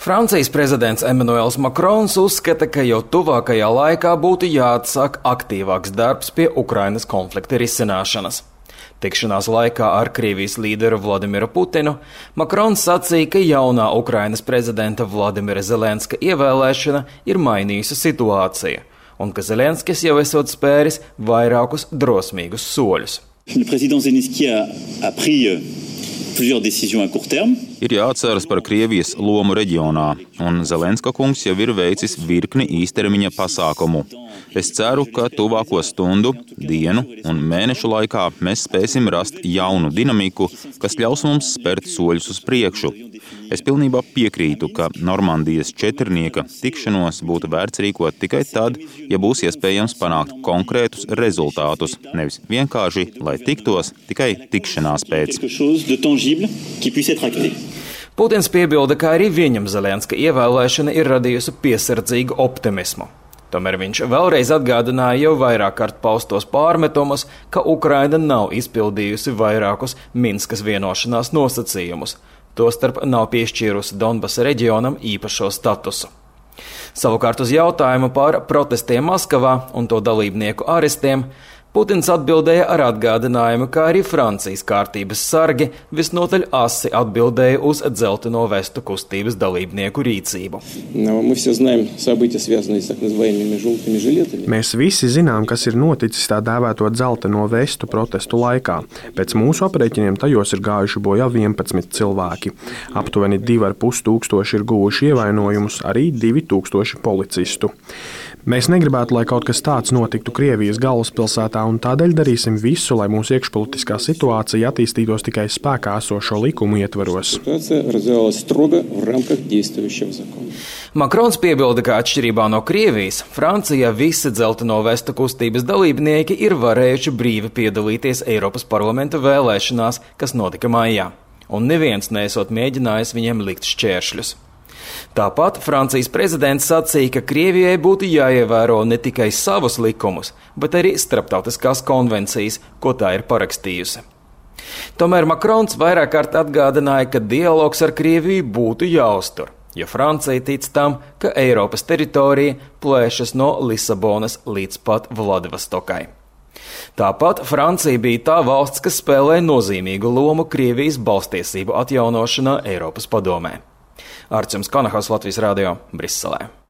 Francijas prezidents Emmanuels Macrons uzskata, ka jau tuvākajā laikā būtu jāatsāk aktīvāks darbs pie Ukrainas konflikta risināšanas. Tikšanās laikā ar Krievijas līderu Vladimiru Putinu Macrons sacīja, ka jaunā Ukrainas prezidenta Vladimira Zelenska ievēlēšana ir mainījusi situāciju, un ka Zelenskis jau esot spēris vairākus drosmīgus soļus. Ir jāatceras par Krievijas lomu reģionā, un Zelenska kungs jau ir veicis virkni īstermiņa pasākumu. Es ceru, ka tuvāko stundu, dienu un mēnešu laikā mēs spēsim rast jaunu dinamiku, kas ļaus mums spērt soļus uz priekšu. Es pilnībā piekrītu, ka Normandijas četrnieka tikšanos būtu vērts rīkot tikai tad, ja būs iespējams panākt konkrētus rezultātus, nevis vienkārši, lai tiktos tikai tikšanās pēc. Putins piebilda, ka arī viņam Zelenska ievēlēšana ir radījusi piesardzīgu optimismu. Tomēr viņš vēlreiz atgādināja jau vairāk kārt paustos pārmetumus, ka Ukraina nav izpildījusi vairākus Minskas vienošanās nosacījumus, tostarp nav piešķīrusi Donbasa reģionam īpašo statusu. Savukārt uz jautājumu par protestiem Maskavā un to dalībnieku arestiem Putins atbildēja ar atgādinājumu, ka arī Francijas kārtības sargi visnotaļ asi atbildēja uz dzelteno vestu kustības dalībnieku rīcību. Mēs visi zinām, kas ir noticis tā dēvēto dzelteno vestu protestu laikā. Pēc mūsu aprēķiniem tajos ir gājuši bojā 11 cilvēki. Aptuveni 2,5 tūkstoši ir guvuši ievainojumus, arī 2000 policistu. Mēs negribētu, lai kaut kas tāds notiktu Krievijas galvaspilsētā, un tādēļ darīsim visu, lai mūsu iekšpolitiskā situācija attīstītos tikai spēkā esošo likumu ietvaros. Macrons piebilda, ka atšķirībā no Krievijas, Francijā visi dzelteno vestu kustības dalībnieki ir varējuši brīvi piedalīties Eiropas parlamenta vēlēšanās, kas notika maijā, un neviens neesot mēģinājis viņiem likt šķēršļus. Tāpat Francijas prezidents sacīja, ka Krievijai būtu jāievēro ne tikai savus likumus, bet arī starptautiskās konvencijas, ko tā ir parakstījusi. Tomēr Macrons vairāk kārt atgādināja, ka dialogs ar Krieviju būtu jāuztur, jo Francija tic tam, ka Eiropas teritorija plēšas no Lisabonas līdz pat Vladivostokai. Tāpat Francija bija tā valsts, kas spēlē nozīmīgu lomu Krievijas balstiesību atjaunošanā Eiropas padomē. Arčuns Kanahaus, Latvijas radio, Briselē.